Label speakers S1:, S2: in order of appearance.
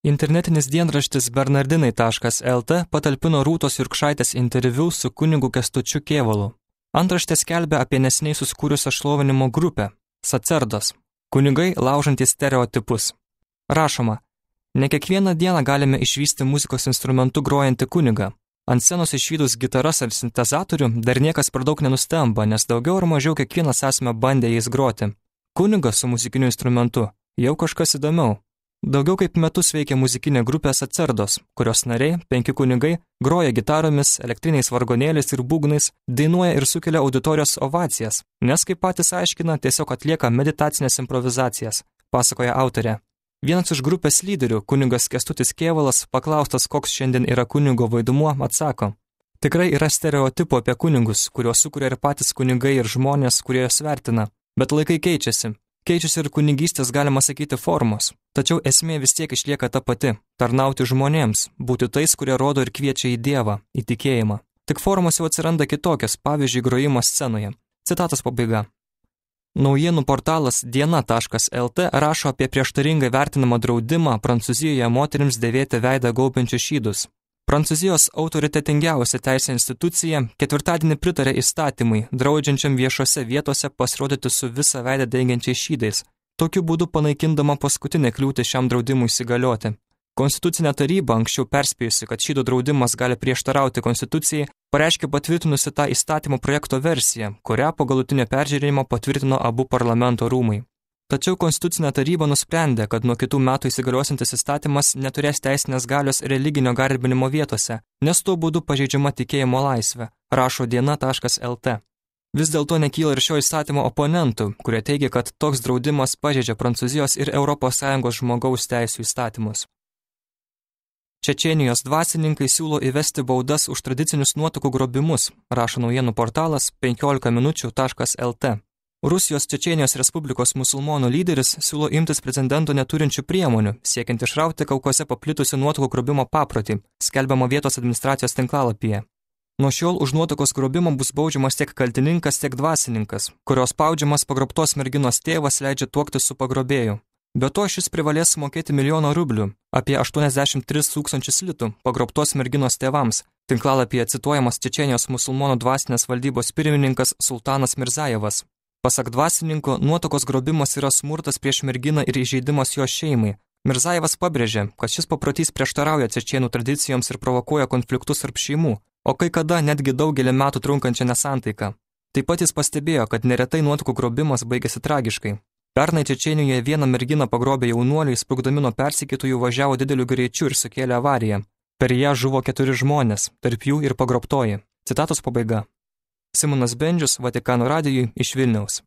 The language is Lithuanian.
S1: Internetinis dienraštis bernardinai.lt patalpino Rūtos Jurkšaitės interviu su kunigu Kęstučiu Kėvalu. Antraštė skelbia apie neseniai susikūrusią šlovinimo grupę – Sacerdos. Kunigai laužantys stereotipus. Rašoma, ne kiekvieną dieną galime išvysti muzikos instrumentu grojantį kunigą. Ant scenos išvydus gitaras ar sintezatorių dar niekas per daug nenustemba, nes daugiau ar mažiau kiekvienas esame bandę jais groti. Kunigas su muzikiniu instrumentu jau kažkas įdomiau. Daugiau kaip metus veikia muzikinė grupė Sacerdos, kurios nariai, 5 kunigai, groja gitaromis, elektriniais vargonėliais ir būgnais, dainuoja ir sukelia auditorijos ovacijas, nes, kaip patys aiškina, tiesiog atlieka meditacinės improvizacijas, pasakoja autorė. Vienas iš grupės lyderių, kunigas Kęstutis Kėvalas, paklaustas, koks šiandien yra kunigo vaidmuo, atsako. Tikrai yra stereotipų apie kunigus, kuriuos sukuria ir patys kunigai ir žmonės, kurie juos vertina, bet laikai keičiasi. Keičiasi ir kunigystės, galima sakyti, formos. Tačiau esmė vis tiek išlieka ta pati – tarnauti žmonėms, būti tais, kurie rodo ir kviečia į Dievą, į tikėjimą. Tik formos jau atsiranda kitokios, pavyzdžiui, grojimas scenoje. Citatos pabaiga. Naujienų portalas diena.lt rašo apie prieštaringai vertinamą draudimą Prancūzijoje moterims dėvėti veidą gaubiančius šydus. Prancūzijos autoritetingiausia teisė institucija ketvirtadienį pritarė įstatymui, draudžiančiam viešose vietose pasirodyti su visą veidą dengiančiais šydais, tokiu būdu panaikindama paskutinę kliūtį šiam draudimui įsigalioti. Konstitucinė taryba, anksčiau perspėjusi, kad šydų draudimas gali prieštarauti konstitucijai, pareiškė patvirtinusi tą įstatymo projekto versiją, kurią po galutinio peržiūrėjimo patvirtino abu parlamento rūmai. Tačiau Konstitucinė taryba nusprendė, kad nuo kitų metų įsigaliosiantis įstatymas neturės teisinės galios religinio garbinimo vietose, nes tuo būdu pažeidžiama tikėjimo laisvė, rašo diena.lt. Vis dėlto nekyla ir šio įstatymo oponentų, kurie teigia, kad toks draudimas pažeidžia Prancūzijos ir ES žmogaus teisių įstatymus. Čečėnijos dvasininkai siūlo įvesti baudas už tradicinius nuotakų grobimus, rašo naujienų portalas 15minučių.lt. Rusijos Čečėnijos Respublikos musulmonų lyderis siūlo imtis precedento neturinčių priemonių, siekiant išrauti Kaukaze paplitusių nuotakų grobimo paprotį, skelbiama vietos administracijos tinklalapyje. Nuo šiol už nuotakos grobimą bus baudžiamas tiek kaltininkas, tiek dvasininkas, kurios spaudžiamas pagrobtos merginos tėvas leidžia tuoktis su pagrobėju. Be to šis privalės mokėti 1 000 000 rublių, apie 83 000 litų, pagrobtos merginos tėvams. Tinklalapyje cituojamas Čečėnijos musulmonų dvasinės valdybos pirmininkas Sultanas Mirzajevas. Pasak dvasininko, nuotakos grobimas yra smurtas prieš merginą ir įžeidimas jos šeimai. Mirzajevas pabrėžė, kad šis paprotys prieštarauja čečėnų tradicijoms ir provokuoja konfliktus tarp šeimų, o kai kada netgi daugelį metų trunkančią nesantaiką. Taip pat jis pastebėjo, kad neretai nuotakų grobimas baigėsi tragiškai. Pernai Čečėnijoje vieną merginą pagrobė jaunuoliai, sprukdami nuo persekiotojų važiavo dideliu greičiu ir sukėlė avariją. Per ją žuvo 4 žmonės, tarp jų ir pagrobtoji. Citatos pabaiga. Simonas Bendžius, Vatikano radijui iš Vilniaus.